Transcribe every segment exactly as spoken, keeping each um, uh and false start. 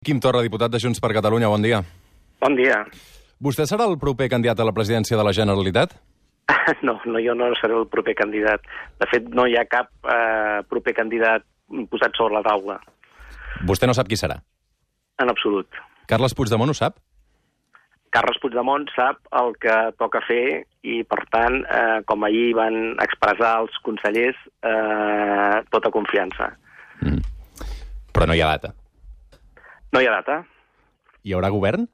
Quim Torra, diputat de Junts per Catalunya, bon dia. Bon dia. Vostè serà el proper candidat a la presidència de la Generalitat? No, no, jo no seré el proper candidat. De fet, no hi ha cap eh, proper candidat posat sobre la taula. Vostè no sap qui serà? En absolut. Carles Puigdemont ho sap? Carles Puigdemont sap el que toca fer i, per tant, eh, com ahir van expressar els consellers, eh, tota confiança. Mm. Però no hi ha data. No hi ha data. Hi haurà govern?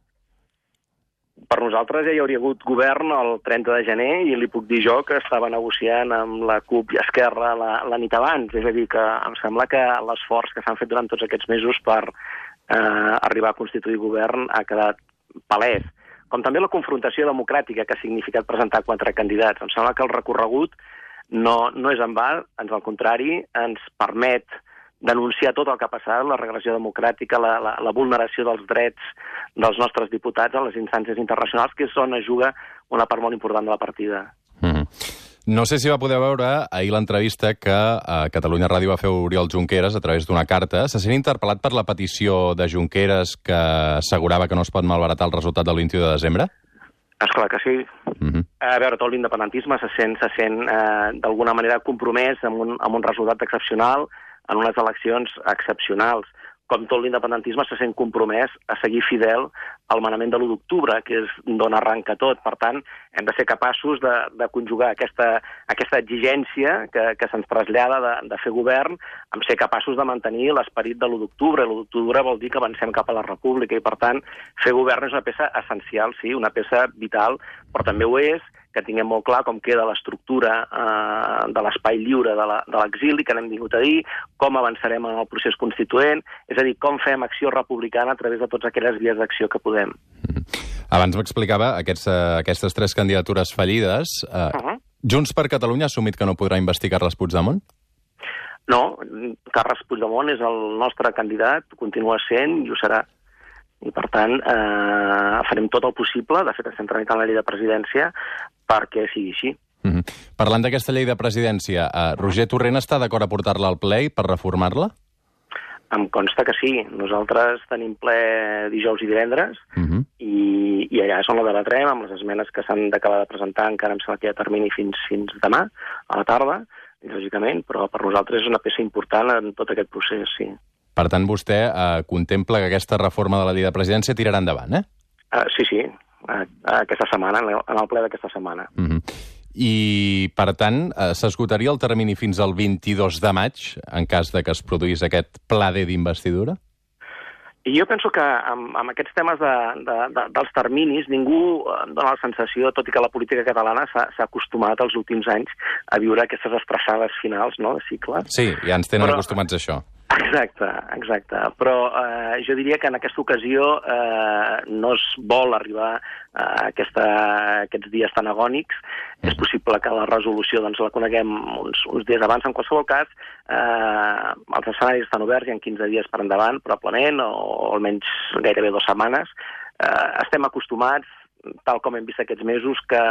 Per nosaltres ja hi hauria hagut govern el trenta de gener i li puc dir jo que estava negociant amb la CUP i Esquerra la, la nit abans. És a dir, que em sembla que l'esforç que s'han fet durant tots aquests mesos per eh, arribar a constituir govern ha quedat palès. Com també la confrontació democràtica que ha significat presentar quatre candidats. Em sembla que el recorregut no, no és en va, ans al contrari, ens permet denunciar tot el que ha passat, la regressió democràtica, la, la, la vulneració dels drets dels nostres diputats a les instàncies internacionals, que és on es juga una part molt important de la partida. Mm-hmm. No sé si va poder veure ahir l'entrevista que a Catalunya Ràdio va fer Oriol Junqueras a través d'una carta. Se sent interpel·lat per la petició de Junqueras que assegurava que no es pot malbaratar el resultat del vint-i-u de desembre? Esclar que sí. Mm-hmm. A veure, tot l'independentisme se sent, se sent eh, d'alguna manera compromès amb un, amb un resultat excepcional, en unes eleccions excepcionals. Com tot l'independentisme se sent compromès a seguir fidel al manament de l'u d'octubre, que és d'on arranca tot. Per tant, hem de ser capaços de, de conjugar aquesta, aquesta exigència que, que se'ns trasllada de, de fer govern, amb ser capaços de mantenir l'esperit de l'u d'octubre. L'u d'octubre vol dir que avancem cap a la república i, per tant, fer govern és una peça essencial, sí, una peça vital, però també ho és que tinguem molt clar com queda l'estructura eh, de l'espai lliure de l'exili, que n'hem vingut a dir, com avançarem en el procés constituent, és a dir, com fem acció republicana a través de totes aquelles vies d'acció que podem. Abans m'explicava aquests, aquestes tres candidatures fallides. Eh, uh -huh. Junts per Catalunya ha assumit que no podrà investigar Carles Puigdemont? No, Carles Puigdemont és el nostre candidat, continua sent i ho serà. I, per tant, eh, farem tot el possible, de fet, estem tramitant la llei de presidència, perquè sigui així. Mm-hmm. Parlant d'aquesta llei de presidència, eh, Roger Torrent està d'acord a portar-la al ple per reformar-la? Em consta que sí. Nosaltres tenim ple dijous i divendres, mm-hmm. i, i allà és on la debatrem, amb les esmenes que s'han d'acabar de presentar, encara em sembla que hi ha termini fins, fins demà, a la tarda, lògicament, però per nosaltres és una peça important en tot aquest procés, sí. Per tant, vostè eh, contempla que aquesta reforma de la llei de presidència tirarà endavant, eh? Uh, sí, sí, uh, aquesta setmana, en el ple d'aquesta setmana. Mm-hmm. I, per tant, eh, s'esgotaria el termini fins al vint-i-dos de maig, en cas de que es produís aquest pla D d'investidura? I jo penso que amb, amb aquests temes de, de, de, dels terminis ningú dona la sensació, tot i que la política catalana s'ha acostumat els últims anys a viure aquestes estressades finals, no?, de cicle. Sí, ja ens tenen Però... acostumats a això. Exacte, exacte. Però eh, jo diria que en aquesta ocasió eh, no es vol arribar a aquesta, aquests dies tan agònics. Mm. És possible que la resolució doncs, la coneguem uns, uns dies abans. En qualsevol cas, eh, els escenaris estan oberts, hi ha quinze dies per endavant, probablement, o, o almenys gairebé dues setmanes. Eh, estem acostumats, tal com hem vist aquests mesos, que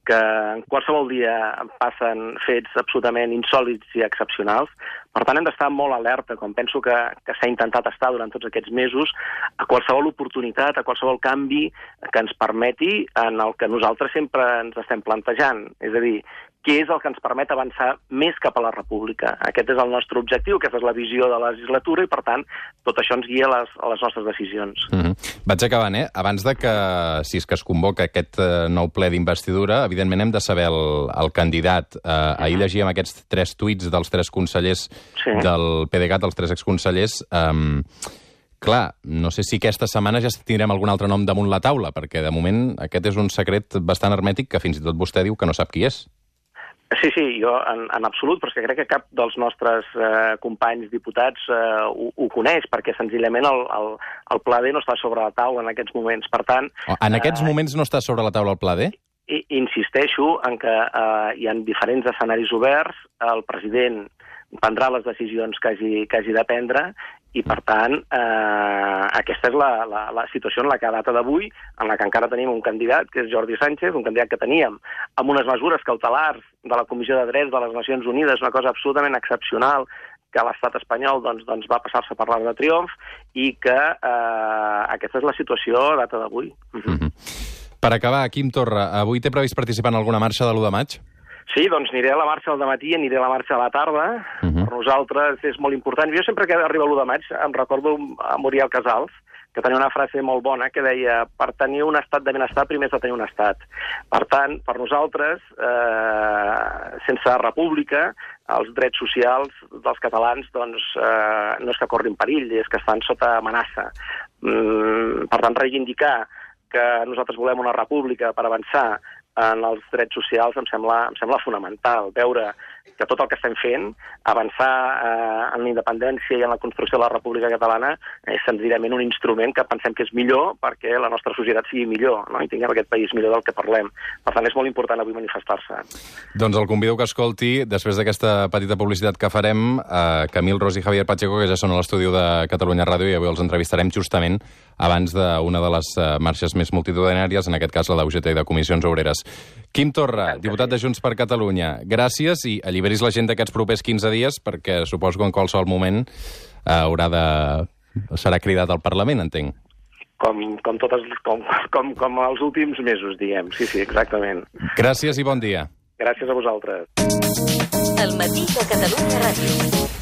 que en qualsevol dia passen fets absolutament insòlits i excepcionals. Per tant, hem d'estar molt alerta, com penso que, que s'ha intentat estar durant tots aquests mesos, a qualsevol oportunitat, a qualsevol canvi que ens permeti en el que nosaltres sempre ens estem plantejant. És a dir, què és el que ens permet avançar més cap a la república. Aquest és el nostre objectiu, aquesta és la visió de la legislatura i, per tant, tot això ens guia a les, a les nostres decisions. Mm-hmm. Vaig acabant, eh? Abans de que, si és que es convoca aquest eh, nou ple d'investidura, evidentment hem de saber el, el candidat. Eh, mm-hmm. Ahir llegíem aquests tres tuits dels tres consellers sí. del PDeCAT, els tres exconsellers. Um, clar, no sé si aquesta setmana ja tindrem algun altre nom damunt la taula, perquè de moment aquest és un secret bastant hermètic que fins i tot vostè diu que no sap qui és. Sí, sí, jo en, en absolut, però és que crec que cap dels nostres eh, companys diputats eh, ho, ho coneix, perquè senzillament el, el, el pla D no està sobre la taula en aquests moments. Per tant... En aquests eh, moments no està sobre la taula el pla D? I, insisteixo en que eh, hi ha diferents escenaris oberts, el president prendrà les decisions que hagi, que hagi de prendre i, per tant, eh, aquesta és la, la, la situació en la que a data d'avui, en la que encara tenim un candidat, que és Jordi Sánchez, un candidat que teníem amb unes mesures cautelars de la Comissió de Drets de les Nacions Unides, una cosa absolutament excepcional, que l'estat espanyol doncs, doncs va passar-se per l'arc de triomf i que eh, aquesta és la situació a data d'avui. Uh-huh. Mm-hmm. Per acabar, Quim Torra, avui té previst participar en alguna marxa de l'u de maig? Sí, doncs aniré a la marxa al dematí, aniré a la marxa a la tarda. Uh-huh. Per nosaltres és molt important. Jo sempre que arriba l'u de maig em recordo a Muriel Casals, que tenia una frase molt bona que deia per tenir un estat de benestar primer has de tenir un estat. Per tant, per nosaltres, eh, sense república, els drets socials dels catalans doncs, eh, no és que corrin perill, és que estan sota amenaça. Mm, per tant, reivindicar que nosaltres volem una república per avançar en els drets socials em sembla, em sembla fonamental. Veure que tot el que estem fent, avançar eh, en la independència i en la construcció de la República Catalana, és senzillament un instrument que pensem que és millor perquè la nostra societat sigui millor, no? I tinguem aquest país millor del que parlem. Per tant, és molt important avui manifestar-se. Doncs el convido que escolti, després d'aquesta petita publicitat que farem, eh, Camil Ros i Javier Pacheco, que ja són a l'estudi de Catalunya Ràdio, i avui els entrevistarem justament abans d'una de les uh, marxes més multitudinàries, en aquest cas la d'U G T i de Comissions Obreres. Quim Torra, diputat de Junts per Catalunya, gràcies i alliberis la gent d'aquests propers quinze dies, perquè suposo que en qualsevol moment uh, haurà de... serà cridat al Parlament, entenc. Com, com, totes, com, com, com els últims mesos, diguem. Sí, sí, exactament. Gràcies i bon dia. Gràcies a vosaltres. El matí de Catalunya Ràdio.